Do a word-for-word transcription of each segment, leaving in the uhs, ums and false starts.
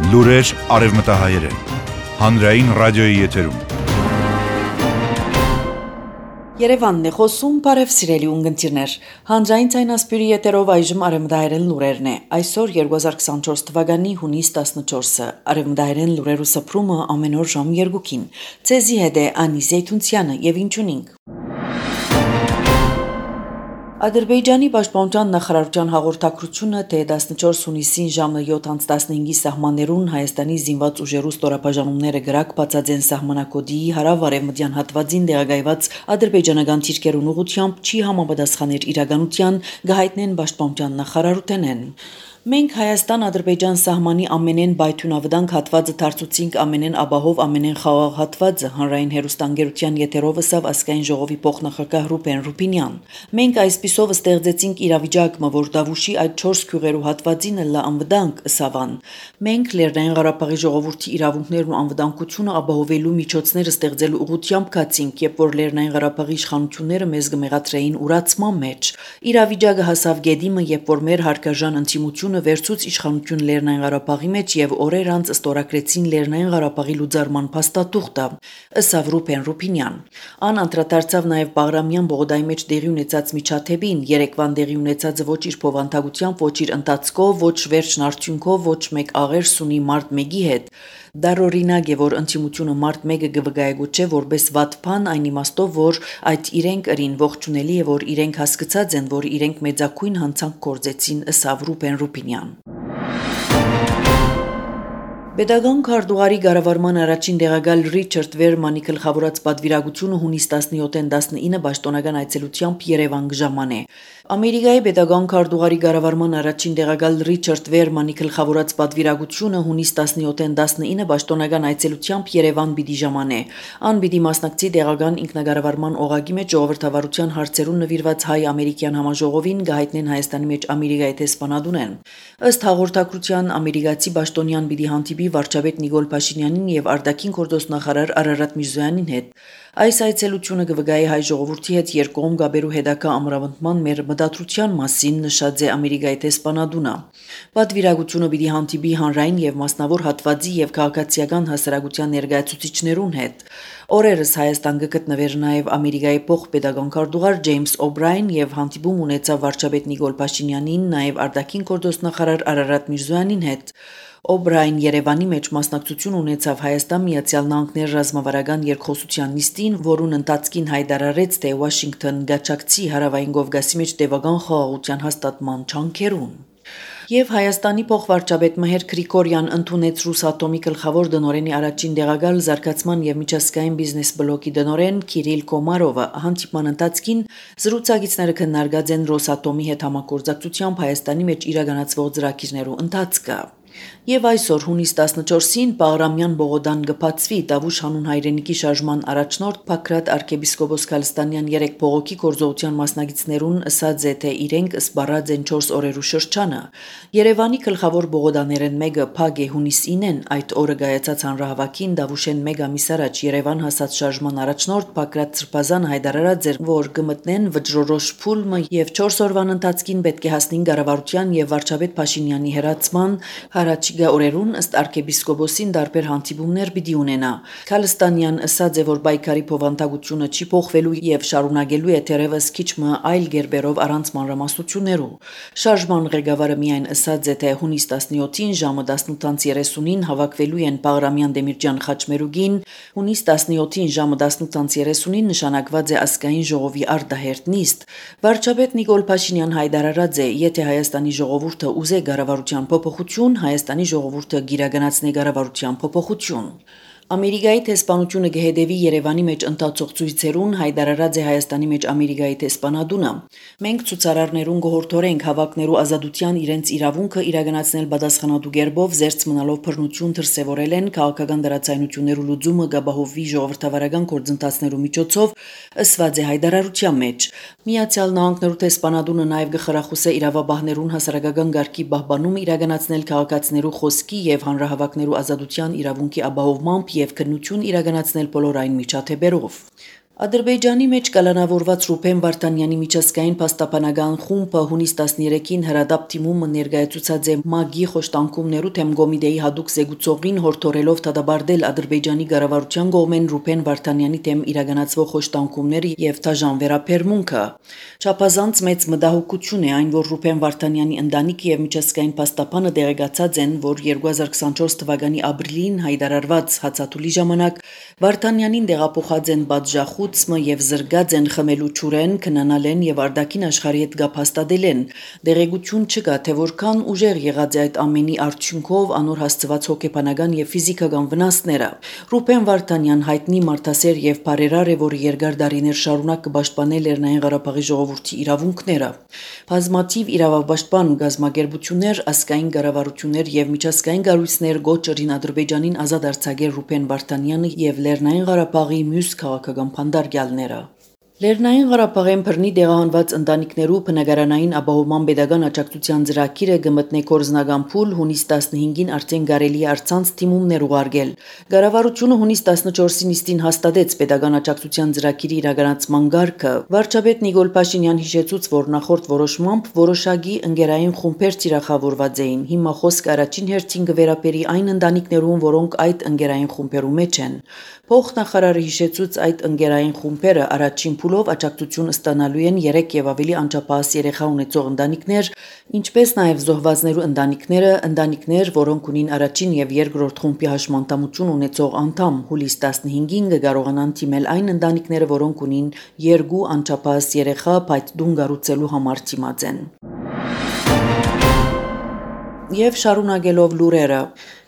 Լուրեր արևմտահայերեն, հանրային ռադիոյի եթերում։ Երևանն է խոսում, բարև սիրելի ունգընտիրներ, հանրային ցայնասպյուրի եթերով այժմ արևմտահայերեն լուրերն է, այսօր երկու հազար քսանչորս թվականի հունիս տասնչորսը, արևմտահայերեն լուրերու սփռումը ամեն օր ժամ երկուքին, ցեզի հետ է Անի Զեյթունցյանը եւ ինչունինք։ Ադրբեջանի պաշտպանության նախարարության հաղորդակցությունը, թե տասնչորս հունիսին ժամը յոթ անց տասնհինգի սահմաններուն Հայաստանի զինված ուժերու ստորաբաժանումները գրակ բացաձեն սահմանակոդի հարավ-արևմտյան հատվածին տեղակայված ադրբեջանական թիրքերուն ուղղությամբ չի համապատասխաներ իրականության, գահիտնեն պաշտպանության նախարարութենեն։ Մենք Հայաստան-Ադրբեջան սահմանի ամենեն բայթունավդանք հատվածը դարձուցինք ամենեն աբահով ամենեն խաղաղ հատվածը հանրային հերոստանգերության եթերով ըսավ ազգային ժողովի փոխնախագահ Ռուբեն Ռուբինյան։ Մենք այսպիսով ստեղծեցինք իրավիճակը, որ Դավուշի այդ չորս քյուղերու հատվածին լա անվտանգ ըսավան։ Մենք Լեռնային Ղարաբաղի ժողովրդի իրավունքներն ու անվտանգությունը ապահովելու միջոցներ ստեղծելու ուղղությամբ կացինք, երբ որ Լեռնային Ղարաբաղի իշխանությունները մեզ կմեղադրեին ուրացման մեջ։ Իրավիճակը հասավ գեդիմը, երբ որ մեր հարկաժան ընդդիմությունը վերցուց իշխանություն Լեռնային Ղարաբաղի մեջ եւ օրեր անց ստորագրեցին Լեռնային Ղարաբաղի լուծարման փաստաթուղթը, ըսավ Ռուբեն Ռուբինյան։ Ան անդրադարձավ նաեւ Բաղրամյան Բողոդայի մեջ դեղի ունեցած միջադեպին, երեկվան դեղի ունեցածը ոչ իր փոխանցությամբ, ոչ իր ընթացքով, ոչ վերջն արդյունքով, ոչ մեկ աղերս ունի մարդ մեկի հետ։ Դարօրինակ է, որ ընդդիմությունը մարդ մեկը գվգայագուչե որպես վատ բան, այն իմաստով, որ այդ իրենք ըրին ողջունելի է, որ իրենք հասկացած են, որ իրենք մեծակույն հանցանք կործեցին, ըսավ Ռուբեն Ռուբինյան։ Պետական քարտուղարի ղեկավարման առաջին տեղակալ Ռիչարդ Վերմանի գլխավորած պատվիրակությունը հունիս տասնյոթին տասնինը պաշտոնական այցելությամբ Երևան կժամանե։ Ամերիկայի պետական քարտուղարի ղեկավարման առաջին տեղակալ Ռիչարդ Վերմանի գլխավորած պատվիրակությունը հունիս տասնյոթին տասնինը պաշտոնական այցելությամբ Երևան պիտի ժամանե։ Ան պիտի մասնակցի տեղական ինքնագարավարման օղակի մեջ ժողովրդավարության հարցերուն նվիրված հայ-ամերիկյան համաժողովին գահիտնեն Հայաստանի մեջ Ամերիկայի տեսփանադունեն։ Ըստ հաղորդակցության ամերիկացի պաշտոնյան պիտի հանդիպի վարչապետ Նիկոլ Փաշինյանին եւ արտաքին գործոստ նախարար Արարատ Միրզոյանին հետ։ Այս այցելությունը կվգայի հայ ժողովրդի հետ երկկողմ գաբերու հետագա ամրապնդման մեր մտադրության մասին, նշած է Ամերիկայի տեսփանադունը։ Պատվիրակությունը պիտի հանդիպի հանրային եւ մասնավոր հատվածի եւ քաղաքացիական հասարակության ներկայացուցիչներուն հետ։ Օրերս Հայաստան կգտնվեր նաեւ Ամերիկայի փոխպետական քարտուղար Ջեյմս Օբրայն եւ հանդիպում ունեցավ վարչապետ Նիկոլ Փաշինյանին, նաեւ արտաքին գործոստ նախարար Արարատ Միրզոյանին հետ։ Օբրայն Երևանի մեջ մասնակցություն ունեցավ Հայաստան Միացյալ Նահանգներ ռազմավարական երկխոսության նիստին, որուն ընթացքին հայտարարեց, թե Վաշինգտոն գաչակցի հարավային Կովկասի մեջ տևական խաղաղության հաստատման չանքերուն։ Եվ Հայաստանի փոխվարչապետ Մհեր Գրիգորյան ընդունեց Ռուսատոմի գլխավոր դնորենի առաջին տեղակալ զարգացման եւ միջազգային բիզնես բլոկի դնորեն Կիրիլ Կոմարովը հանդիպման ընթացքին զրուցակիցները քննարկած են Ռոսատոմի հետ համագործակցությամբ Հայաստանի մեջ իրականացվող ծրագիրներու ընթացքը։ Եվ այսօր հունիս տասնչորսին Բաղրամյան Բողոդան կբացվի Դավուշ հանուն հայրենիքի շարժման առաջնորդ Փակրատ arczepiskopos Քալստանյան երեք բողոքի գործողության մասնակիցներուն ըսած է, թե իրենք սպառած են չորս օրերու շրջանը։ Երևանի գլխավոր բողոդաներեն մեկը Փագ է հունիսինեն, այդ օրը գայացած հանրահավաքին Դավուշեն մեկ ամիս առաջ Երևան հասած շարժման առաջնորդ Փակրատ Սրբազանը հայտարարած էր, որ կմտնեն վճռորոշ փուլը եւ չորս օրվան ընթացքին պետք է հասնին կառավարության եւ վարչապետ Փաշինյանի հրացման Հարաճիգա օրերուն ըստ arczepiskoposին դարբեր հանդիպումներ պիտի ունենա։ Քալստանյան ըսած է, որ պայքարի փոխանցությունը չի փոխվելու եւ շարունակելու է թերևս քիչմը այլ գերբերով առանց մանրամասնություններու։ Շարժման ղեկավարը միայն ըսած է, թե հունիս տասնյոթին ժամը տասնութ երեսունին հավաքվելու են Բաղրամյան Դեմիրճյան խաչմերուգին, հունիս տասնյոթին ժամը տասնութ երեսունին նշանակված է ազգային ժողովի արտահերտ նիստ։ Վարչապետ Նիկոլ Փաշինյան հայտարարած է, եթե Հայաստանի ժողովուրդը ուզե կառավարության փոփոխություն, Հայաստանի ժողովուրդը գիրականացնի կառավարության փոփոխություն։ Ամերիկայի տեսփանությունը կհետևի Երևանի մեջ ընթացող ցույցերուն, հայտարարած է Հայաստանի մեջ Ամերիկայի տեսփանադունը։ Մենք ցուցարարներուն գողորթորենք հավաքներու ազատության իրենց իրավունքը իրականացնել պատասխանատու կերպով զերծ մնալով բռնություն դրսևորել են քաղաքական դրացայնություններու լուծումը գաբահովի ժողովրդավարական գործընթացներու միջոցով, ըսված է հայտարարության մեջ։ Միացյալ Նահանգներու տեսփանադունը նաև գխրախուսե իրավաբաններուն հասարակական գարկի պահպանումը իրականացնել քաղաքացիներու խոսքի եւ հանրահավաքներու ազատության իրավունքի ապահովմամբ եւ քննություն իրականացնել բոլոր այն միջադեպերով։ Ադրբեջանի մեջ կալանավորված Ռուբեն Վարդանյանի միջազգային փաստաբանական խումբը հունիս տասներեքին հրադապ թիմումը ներկայացուցած է ՄԱԳ-ի խոշտանգումներու թեմ Գոմիդեի հadouk զեկուցողին հորդորելով դադարել Ադրբեջանի կառավարության կողմեն Ռուբեն Վարդանյանի թեմ իրականացվող խոշտանգումները եւ դաժան վերաբերմունքը։ Չափազանց մեծ մտահոգություն է այն, որ Ռուբեն Վարդանյանի ընտանիքը եւ միջազգային փաստաբանը դերակացած են, որ երկու հազար քսանչորս թվականի ապրիլին հայտարարված հացաթուլի ժամանակ Վարդանյանին դեղափոխած են բաժախուցմը եւ զրգած են խմելու ճուրեն, քնանալեն եւ արդակին աշխարհի հետ գապ հաստատել են։ Դերեկություն չկա, թե որքան ուժեղ եղած է այդ ամենի արդյունքով անոր հասցված հոգեբանական եւ ֆիզիկական վնասները։ Ռուբեն Վարդանյան հայտնի մարդասեր եւ բարերար է, որը երկար տարիներ շարունակ կպաշտպանել Լեռնային Ղարաբաղի ժողովրդի իրավունքները։ Բազմաթիվ իրավապաշտպան գազམ་ագերբություններ, ազգային կառավարություններ եւ միջազգային կառույցներ գոչերին Ադրբեջանին ազատ արձակել Ռուբեն Վարդանյանը եւ Լեռնային Ղարաբաղի մյուս քաղաքական փանդարգյալները։ Լեռնային Ղարաբաղեն բռնի դեղահանված ընտանիքներու բնակարանային ապահովման պետական աջակցության ծրագիրը կմտնե կորզնական փուլ հունիս տասնհինգին արդեն կարելի է առցանց թիմումներ ուղարկել։ Կառավարությունը հունիս տասնչորսին իստին հաստատեց պետական աջակցության ծրագիրի իրականացման գարկը։ Վարչապետ Նիկոլ Փաշինյան հիշեցուց, որ նախորդ որոշմամբ որոշակի ընկերային խումբեր թիրախավորված էին։ Հիմա խոսքը առաջին հերթին կվերապերի այն ընտանիքներուն, որոնք այդ ընկերային խումբերու մեջ են։ Փոխնախարարը հիշեցուց այդ ընկերային խումբերը առաջին փուլով աջակցություն ստանալու են երեք եւ ավելի անչափահաս երեխա ունեցող ընտանիքներ, ինչպես նաեւ զոհվածներու ընտանիքները, ընտանիքներ, որոնք ունին առաջին եւ երկրորդ խումբի հաշմանդամություն ունեցող անդամ։ Հուլիս տասնհինգին կկարողանան թիմել այն ընտանիքները, որոնք ունին երկու անչափահաս երեխա, բայց դուն կառուցելու համար թիմած են։ Եվ շարունակելով լուրերը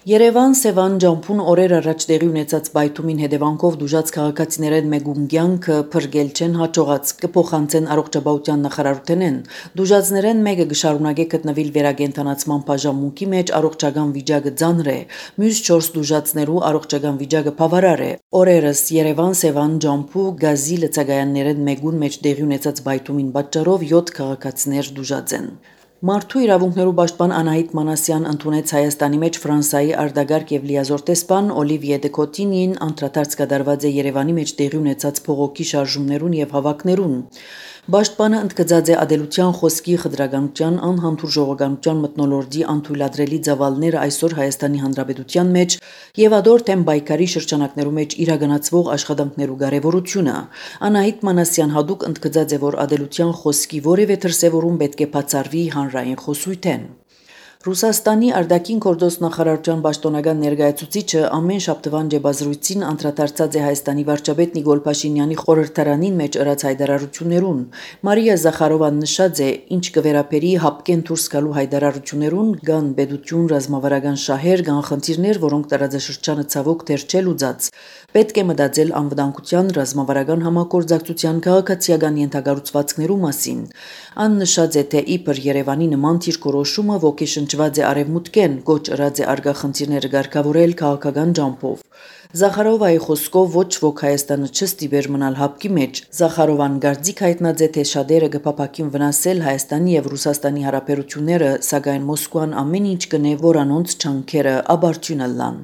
Երևան Սևան ջամփուն օրեր առաջ տեղի ունեցած բայթումին հետևանքով դուժած քաղաքացիներեն մեկում կյանքը փրկել չեն հաջողած կփոխանցեն առողջապահության նախարարութենեն դուժածներեն մեկը կշարունակե գտնվել վերագենտանացման բաժանմունքի մեջ առողջական վիճակը ծանր է մյուս չորս դուժածներու առողջական վիճակը բավարար է օրերս Երևան Սևան ջամփու գազի լցակայաններեն մեկուն մեջ տեղի ունեցած բայթումին պատճառով յոթ քաղաքացիներ դուժած են Մարդու իրավունքներու պաշտպան Անահիտ Մանասյան ընդունեց Հայաստանի մեջ Ֆրանսիայի արտագարկ եւ լիազոր տեսփան Օլիվիե դե Կոտինին անդրադարձ կատարված է Երևանի մեջ տեղի ունեցած փողոքի շարժումներուն եւ հավաքներուն Պաշտպանը ընդգծած է ադելության խոսքի խտրականության անհամբուր ժողովրդական մթնոլորտի անթույլատրելի ծավալները այսօր Հայաստանի Հանրապետության մեջ եւ ադոր թեմ բայկարի շրջանակներու մեջ իրականացվող աշխատանքներու կարեւորությունը Անահիտ Մանասյան հadouk ընդգծած է որ ադելության խոսքի որևէ դրսեւորում պետք է բացառվի հանրային խոսույթեն Ռուսաստանի արտաքին գործոս նախարարության պաշտոնական ներկայացուցիչը ամեն շաբթվան ջեբազրույցին անդրադարձած է Հայաստանի վարչապետ Նիկոլ Փաշինյանի խորհրդարանին մեջ ըրած հայտարարություններուն Մարիա Զախարովան նշած է ինչ կվերապերի հապկեն դուրս գալու հայտարարություններուն կան պետություն ռազմավարական շահեր կան խնդիրներ որոնք տարածաշրջանը ցավոք դեռ չէ լուծած պետք է մտածել անվտանգության ռազմավարական համագործակցության քաղաքացիական ենթակառուցվածքներու մասին ան նշած է թե իբր Երևանի նման դիրքորոշումը ոգեշնչված է արևմուտքեն գոչ ըրած է արգա խնդիրները ղեկավարել քաղաքական ջամփով Զախարովայի խոսքով ոչ ոք Հայաստանը չստիպեր մնալ հապկի մեջ Զախարովան գարձիկ հայտնած է թե շատերը կփապակին վնասել Հայաստանի եւ Ռուսաստանի հարաբերությունները սակայն Մոսկվան ամեն ինչ կնե որ անոնց չանքերը աբարչյունը լան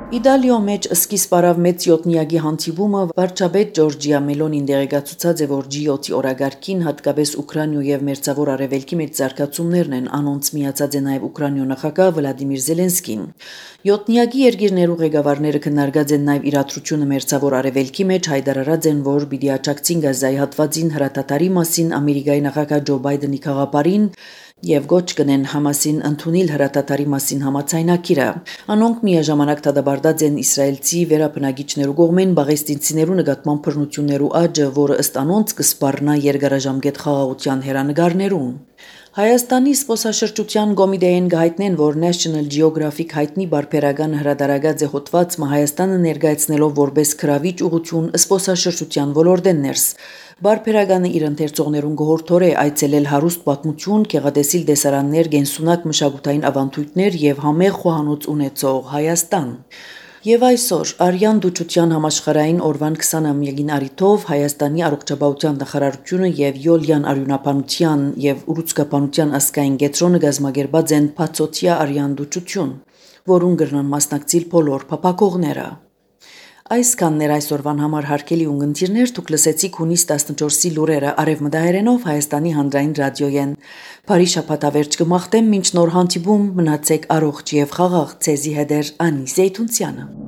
Իտալիո մեջ սկիզբ առավ մեծ յոթնիակի հանդիպումը վարչապետ Ջորջիա Մելոնին դերակացուցած է որ ջի յոթի օրագարկին հատկապես Ուկրաինայու եւ Մերձավոր Արևելքի մեջ զարգացումներն են անոնց միացած է նաեւ Ուկրաինայու նախագահ Վլադիմիր Զելենսկին Յոթնիակի երկիրներու ղեկավարները քննարկած են նաեւ իրադրությունը Մերձավոր Արևելքի մեջ հայտարարած են որ պիտի աջակցին գազայի հատվածին հրատատարի մասին Ամերիկայի նախագահ Ջո Բայդենի քաղաքապարին Եվ գոչ կնեն Համասին ընդունել հրատատարի մասին համաձայնագիրը։ Անոնք միաժամանակ դադարած են իսրայելցի վերապնակիչներու կողմեն բաղեստինցիներու նկատմամբ բռնություններու աճը, որը ըստ անոնց կսպառնա երկարաժամկետ խաղաղության հերանեկարներուն։ Հայաստանի սպոսաշրջության կոմիտեին գայտնեն, որ National Geographic հայտնի բարբերական հրատարակած է հոդվածը Հայաստանը ներկայացնելով որպես քրավիչ ուղղություն սպոսաշրջության ոլորտեն ներս։ Բարբերականը իր ընթերցողներուն գողորթորե այցելել հարուստ պատմություն, գեղատեսիլ դեսարաններ, գենսունակ մշակութային ավանդույթներ եւ համեղ խոհանոց ունեցող Հայաստան։ Եվ այսօր Արյան դուչության համաշխարհային օրվան քսանամյակին առիթով Հայաստանի առողջապահության նախարարությունը եւ Յոլյան արյունապանության եւ ուռուցքապանության ազգային կենտրոնը գազմագերբած են բացօթյա Արյան դուչություն, որուն գրնան մասնակցել բոլոր փապակողները։ Այսքանն էր այսօրվան համար հարգելի ունգընտիրներ, դուք լսեցիք հունիս տասնչորսի լուրերը արևմտահայերենով Հայաստանի հանրային ռադիոյեն։ Բարի շաբաթավերջ կմաղթեմ, մինչ նոր հանդիպում մնացեք առողջ եւ խաղաղ, ցեզի հետեր Անի Զեյթունցյանը։